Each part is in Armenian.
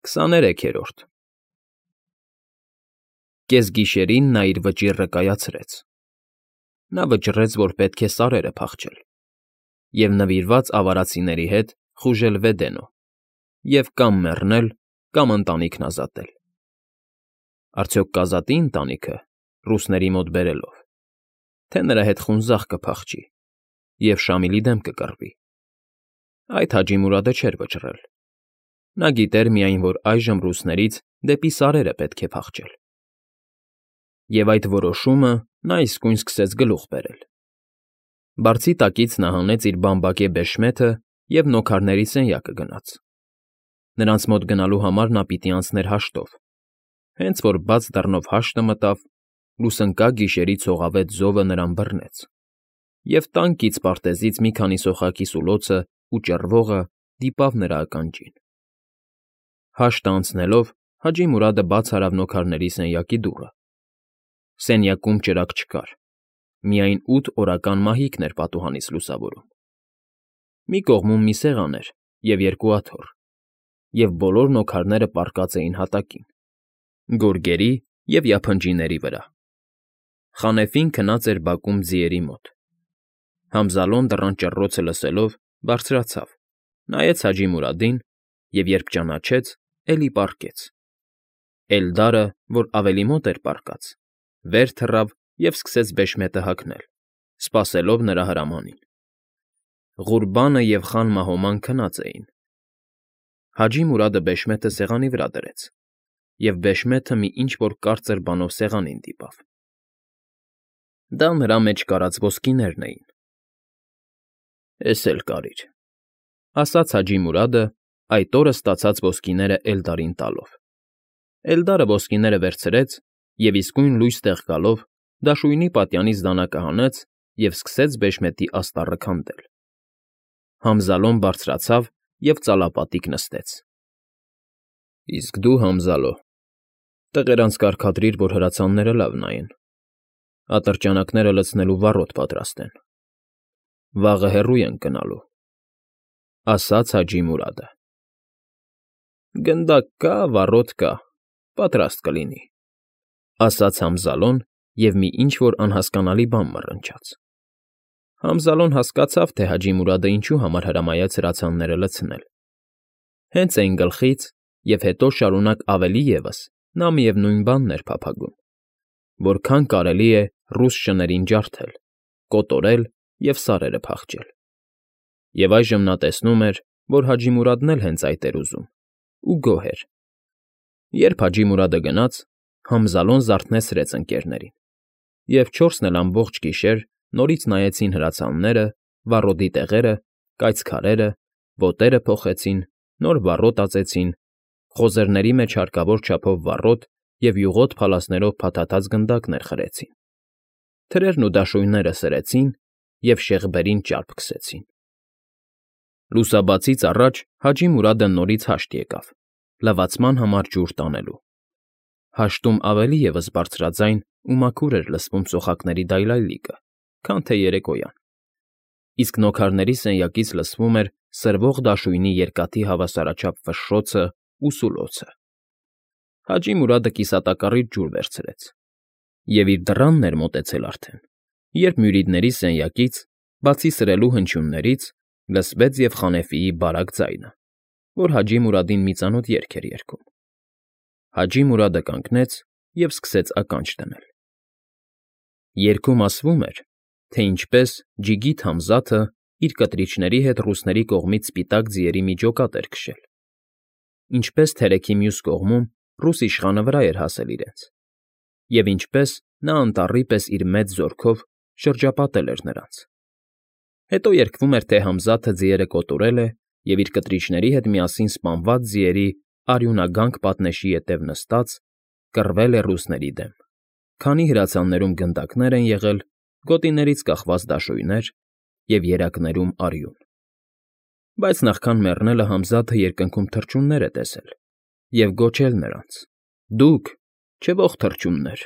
23-րդ Կեսգիշերին նա իր վճիռը կայացրեց. նա վճռեց, որ պետք է սարերը փախչել և նվիրված ավարածիների հետ խուժել Վեդենո և կամ մեռնել, կամ ընտանիքն ազատել. արդյոք կազատի՞ ընտանիքը, ռուսների մոտ բերելով, թե նրա հետ խունձախ կփախչի և Շամիլի դեմ կկռվի. այդ Հաջի֊Մուրադը չէր վճռել. նա գիտեր միայն, որ այժմ ռուսներից դեպի սարերը պետք է փախչել։ Եվ այդ որոշումը նա իսկույն սկսեց գլուխ բերել։ Բարձի տակից նա հանեց իր բամբակե բեշմեթը և նոքարների սենյակը գնաց։ Նրանց մոտ գնալու համար նա պիտի անցներ հաշտով։ Հենց որ բաց դռնով հաշտը մտավ, լուսընկա գիշերի ցողավետ զովը նրան բռնեց, և տան կից պարտեզից մի քանի սոխակի սուլոցն ու ճռվողը դիպավ նրա ականջին։ Հաշտը անցնելով Հաջի֊Մուրադը բաց արավ նոքարների սենյակի դուռը։ Սենյակում ճրագ չկար, միայն 8 օրական մահիկն էր պատուհանից լուսավորում։ Մի կողմում մի սեղան էր և 2 աթոռ, և բոլոր նոքարները պառկած էին հատակին, գորգերի և յափնջիների վրա։ Խանեֆին քնած էր բակում ձիերի մոտ։ Համզալոն դռան ճռռոցը լսելով բարձրացավ, նայեց Հաջի֊Մուրադին և, երբ ճանաչեց, էլի պառկեց։ Էլդարը, որ ավելի մոտ էր պառկած, վեր թռավ և սկսեց բեշմետը հագնել, սպասելով նրա հրամանին։ Ղուրբանը և խան Մահոման քնած էին։ Հաջի֊Մուրադը բեշմետը սեղանի վրա դրեց, և բեշմեթը մի ինչ֊որ կարծր բանով սեղանին դիպավ։ Դա նրա մեջ կարած ոսկիներն էին։ «Էս էլ կարիր», ֊ ասաց Հաջի֊Մուրադը, այդ օրը ստացած ոսկիները Էլդարին տալով։ Էլդարը ոսկիները վերցրեց և իսկույն լույս տեղ գալով դաշույնի պատյանից դանակը հանեց և սկսեց բեշմետի աստառը քանդել։ Համզալոն բարձրացավ և ծալապատիկ նստեց։ ֊ Իսկ դու, Համզալո, տղերանց կարգադրիր, որ հրացանները լավ նայեն, ատրճանակները լցնելու վառոդ պատրաստեն, վաղը հեռու ենք գնալու, ֊ ասաց Հաջի֊Մուրադը։ ֊ Գնդակ կա, վառոդ կա, պատրաստ կլինի, ֊ ասաց Համզալոն և մի ինչ֊որ անհասկանալի բան մռնչաց։ Համզալոն հասկացավ, թե Հաջի֊Մուրադը ինչու համար հրամայեց հրացանները լցնել։ Հենց այն գլխից և հետո շարունակ ավելի ևս նա միևնույն բանն էր փափագում. որքան կարելի է ռուս շներին ջարդել, կոտորել և սարերը փախչել։ Եվ այժմ նա տեսնում էր, որ Հաջի֊Մուրադն էլ հենց այդ էր ուզում, ու գոհ էր։ Երբ Հաջի֊Մուրադը գնաց, Համզալոն զարթնեցրեց ընկներներին, և 4-ն էլ ամբողջ գիշեր նորից նայեցին հրացանները, վառոդի տեղերը, կայծ քարերը, ոտերը փոխեցին, նոր վառոդ ածեցին, խոզերների մեջ հարկավոր չափով վառոդ և յուղոտ փալասներով փաթաթած գնդակներ խրեցին, թրերն ու դաշույնները սրեցին և շեղբերին ճարպ քսեցին։ Լուսաբացից առաջ Հաջի֊Մուրադը նորից հաշտ եկավ, լվացման համար ջուր տանելու։ Հաշտում ավելի ևս բարձրաձայն ու մաքուր էր լսվում սոխակների դայլայլիկը, քան թե երեկոյան, իսկ նոքարների սենյակից լսվում էր սրվող դաշույնի երկաթի հավասարաչափ ֆշշոցն ու սուլոցը։ Հաջի֊Մուրադը կիսատակառից ջուր վերցրեց և իր դռանն էր մոտեցել արդեն, երբ մյուրիների սենյակից, բացի սրելու հնչյուններից, լսվեց և Խանեֆիի բարակ ձայնը, որ Հաջի֊Մուրադին մի ծանոթ երգ էր երգում։ Հաջի֊Մուրադը կանգնեց և սկսեց ականջ դնել։ Երգում ասվում էր, թե ինչպես Ջիգիթ Համզաթը իր կտրիչների հետ ռուսների կողմից սպիտակ ձիերի մի ջոկատ էր քշել, ինչպես թերեքի մյուս կողմում ռուս իշխանը վրա էր հասել իրենց, և ինչպես նա անտառի պես իր մեծ զորքով շրջապատել էր նրանց։ Հետո երգվում էր, թե Համզաթը ձիերը կոտորել է և իր կտրիչների հետ միասին սպանված ձիերի արյունագանք պատնեշի ետև նստած կռվել է ռուսների դեմ, քանի հրացաններում գնդակներ են եղել, գոտիներից կախված դաշույներ և երակներում արյուն։ Բայց նախքան մեռնելը Համզաթը երկնքում թռչուններ է տեսել և գոչել նրանց. «Դուք, չվող թռչուններ,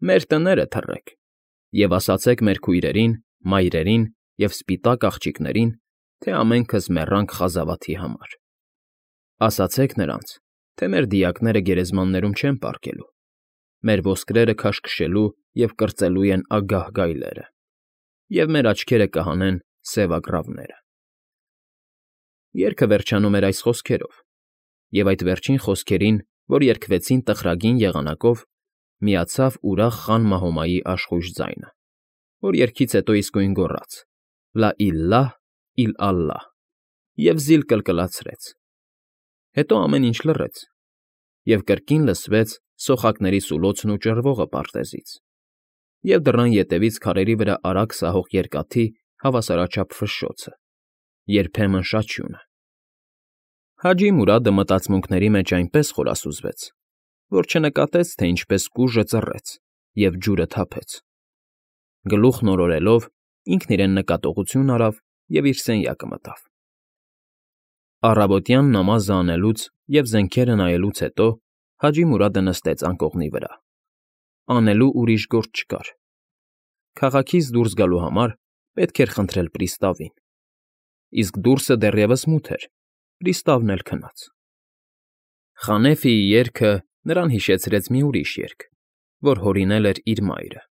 մեր տները թռեք և ասացեք մեր քույրերին, մայրերին և սպիտակ աղջիկներին, թե ամենքս մեռանք խազավաթի համար։ Ասացեք նրանց, թե մեր դիակները գերեզմաններում չեն պառկելու, մեր ոսկրերը քաշքշելու և կրծելու են ագահ գայլերը, և մեր աչքերը կհանեն սևագռավները։ Երգը վերջանում էր այս խոսքերով, և այդ վերջին խոսքերին, որ երգվեցին տխրագին եղանակով, միացավ ուրախ Խան Մահոմայի աշխույժ ձայնը, որ երգից հետո իսկույն գոռաց. «Լա իլլահ, իլալլահ» և զիլ կլկլացրեց։ Հետո ամեն ինչ լռեց, և կրկին լսվեց սոխակների սուլոցն ու ճռվողը պարտեզից, և դռան ետևից քարերի վրա արագ սահող երկաթի հավասարաչափ ֆշշոցը, երբեմն շաչյունը։ Հաջի Մուրադը մտածմունքների մեջ այնպես խորասուզվեց, որ չնկատեց, թե ինչպես կուժը ծռեց և ջուրը թափեց։ Գլուխն օրորելով՝ ինքն իրեն նկատողություն արավ և իր սենյակը մտավ։ Առավոտյան նամազը անելուց և զենքերը նայելուց հետո Հաջի Մուրադը նստեց անկողնի վրա։ Անելու ուրիշ գործ չկար։ Քաղաքից դուրս գալու համար պետք էր խնդրել պրիստավին, իսկ դուրսը դեռևս մութ էր, պրիստավն էլ քնած։ Խանեֆիի երգը նրան հիշեցրեց մի ուրիշ երգ, որ հորինել էր իր մայրը։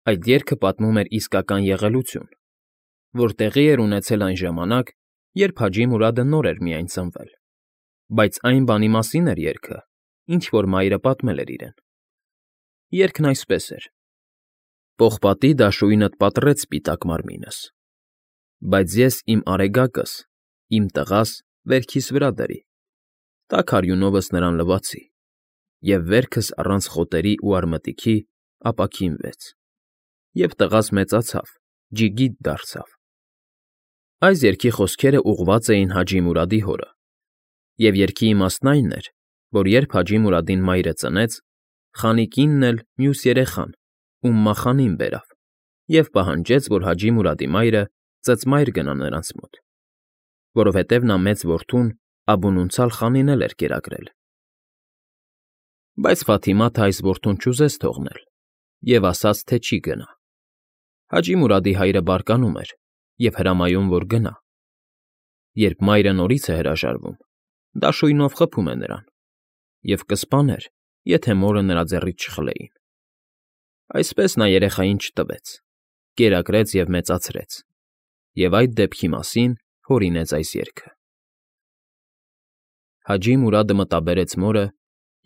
Այդ երգը պատմում էր իսկական եղելություն, որ տեղի էր ունեցել այն ժամանակ, երբ Հաջի Մուրադը նոր էր միայն ծնվել, բայց այն բանի մասին էր երգը, ինչ որ մայրը պատմել էր իրեն։ Երգն այսպես էր. «Պողպատի դաշույնդ պատռեց սպիտակ մարմինս, բայց ես իմ արեգակս, իմ տղաս վերքիս վրա դրի, տաք արյունովս նրան լվացի, և վերքս առանց խոտերի ու արմատիքի ապաքինվեց, և տղաս մեծացավ, ջիգիտ դարձավ»։ Այս երգի խոսքերը ուղղված էին Հաջի Մուրադի հորը, և երգի իմաստն այն էր, որ երբ Հաջի Մուրադին մայրը ծնեց, խանի կինն էլ մյուս երեխան՝Ումմա֊խանին բերավ և պահանջեց, որ Հաջի Մուրադի մայրը ծծմայր գնա նրանց մոտ, որովհետև նա մեծ որդուն Աբու Նուցալ֊խանին էլ էր կերակրել։ Բայց Ֆաթիմաթը այս որդուն չուզեց թողնել և ասաց, թե չի գնա։ Հաջի Մուրադի հայրը բարկանում էր և հրամայում, որ գնա։ Երբ մայրը նորից է հրաժարվում, դաշույնով խփում է նրան և կսպաներ, եթե մորը նրա ձեռքից չխլեին։ Այսպես նա երեխային չտվեց, կերակրեց և մեծացրեց, և այդ դեպքի մասին հորինեց այս երգը։ Հաջի Մուրադը մտաբերեց մորը,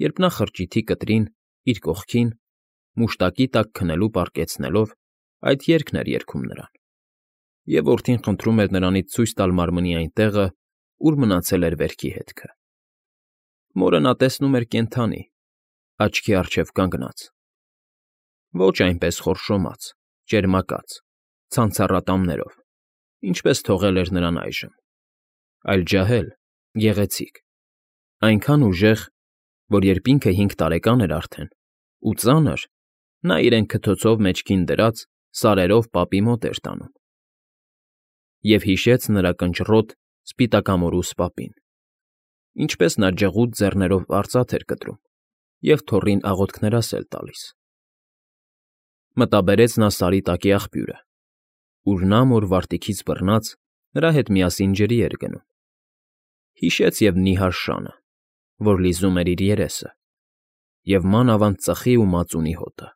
երբ նա խրճիթի կտրին, իր կողքին, մուշտակի տակ քնելու պառկեցնելով, այդ երգն էր երգում նրան, և որդին խնդրում էր նրանից ցույց տալ մարմնի այն տեղը, ուր մնացել էր վերքի հետքը։ Մորը նա տեսնում էր կենդանի, աչքի առջև կանգնած, ոչ այնպես խորշոմած, ճերմակած, ցանցառատամներով, ինչպես թողել էր նրան այժմ, այլ ջահել, գեղեցիկ, այնքան ուժեղ, որ երբ ինքը 5 տարեկան էր արդեն, ու ծանր, նա իրեն քթոցով մեջքին դրած սարերով պապի մոտ էր տանում։ Եվ հիշեց նրա կնճռոտ, սպիտակամորուս պապին, ինչպես նա ջղուտ ձեռներով արծաթ էր կտրում և թոռին աղոթքներասել տալիս։ Մտաբերեց նա Սարի տակի աղբյուրը, ուր նա մոր վարտիքից բռնած նրա հետ միասին ջրի էր գնում։ Հիշեց և նիհար շանը, որ լիզում էր իր երեսը, և մանավանդ ծխի ու մածունի հոտը,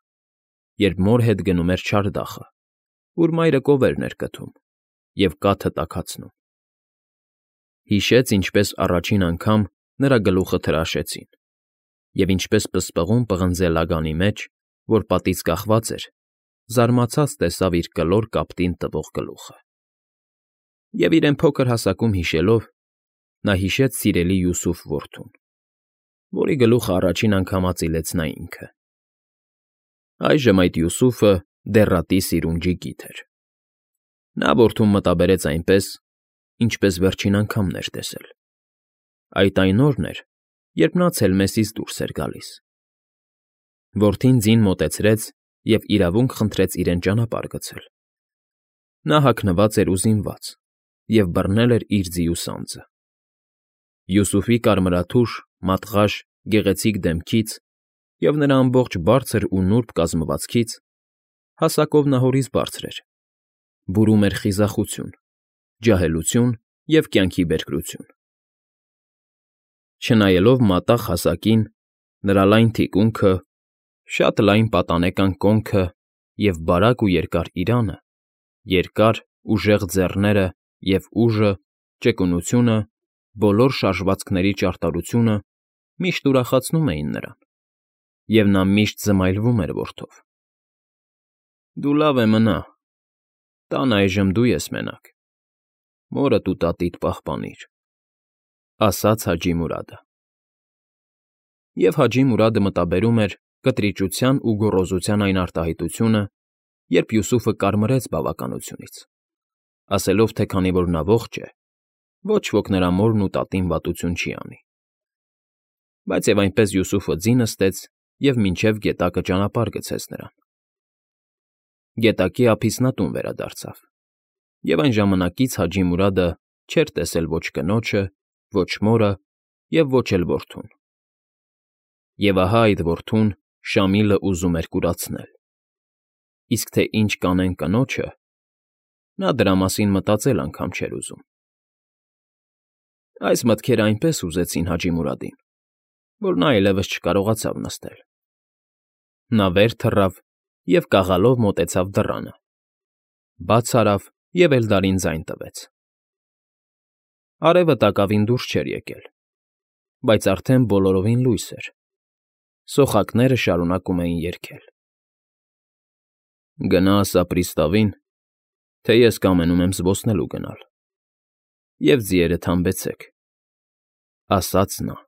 երբ մոր հետ գնում էր չարդախը, ուր մայրը կովերն էր կթում և կաթը տաքացնում։ Հիշեց, ինչպես առաջին անգամ նրա գլուխը թրաշեցին, և ինչպես պսպղուն պղնձե լագանի մեջ, որ պատից կախված էր, զարմացած տեսավ իր կլոր կապտին տվող գլուխը։ Եվ իրեն փոքր հասակում հիշելով՝ նա հիշեց սիրելի Յուսուֆ որդուն, որի գլուխը առաջին անգամ ածիլեց նա ինքը։ Այժմ այդ Յուսուֆը դեռատի սիրուն ջիգիթ էր։ Նա որդուն մտաբերեց այնպես, ինչպես վերջին անգամն էր տեսել։ Այդ այն օրն էր, երբ նա Ցելմեսից դուրս էր գալիս։ Որդին ձին մոտեցրեց և իրավունք խնդրեց իրեն ճանապարհ գցել։ Նա հագնված էր ու զինված և բռնել էր իր ձիու սանձը։ Յուսուֆի կարմրաթուշ, մատղաշ, գեղեցիկ դեմքից և նրա ամբողջ բարձր ու նուրբ կազմվածքից հասակով նա հորից բարձր էր, բուրում էր խիզախություն, ջահելություն և կյանքի բերկրություն։ Չնայելով մատաղ հասակին, նրա լայն թիկունքը, շատ լայն պատանեկան կոնքը և բարակ ու երկար իրանը, երկար, ուժեղ ձեռները և ուժը, ճկունությունը, բոլոր շարժվածքների ճարտարությունը միշտ ուրախացնում էին նրան, և նա միշտ զմայլվում էր որդով։ «Դու լավ է մնա, տանը այժմ դու ես մենակ, մորդ ու տատիդ պահպանիր»,֊ ասաց Հաջի Մուրադը։ Եվ Հաջի Մուրադը մտաբերում էր կտրիճության ու գոռոզության այն արտահայտությունը, երբ Յուսուֆը կարմրեց բավականությունից, ասելով, թե քանի որ նա ողջ է, ոչ ոք նրա մորն ու տատին վատություն չի անի։ Բայց և այնպես Յուսուֆը ձի նստեց և մինչև գետակը ճանապարհ գցեց նրան։ Գետակի ափից նա տուն վերադարձավ, և այն ժամանակից Հաջի Մուրադը չէր տեսել ոչ կնոջը, ոչ մորը և ոչ էլ որդուն։ Եվ ահա այդ որդուն Շամիլը ուզում էր կուրացնել, իսկ թե ինչ կանեն կնոջը, նա դրա մասին մտածել անգամ չէր ուզում։ Այս մտքերը այնպես հուզեցին Հաջի Մուրադին, որ նա այլևս չկարողացավ նստել։ Նա վեր թռավ և կաղալով մոտեցավ դռանը, բաց արավ և Էլդարին ձայն տվեց։ Արևը տակավին դուրս չէր եկել, բայց արդեն բոլորովին լույս էր, սոխակները շարունակում էին երգել. «Գնա ասա պրիստավին, թե ես կամենում եմ զբոսնելու գնալ, և ձիերդ հանբեցեք»,֊ ասաց նա։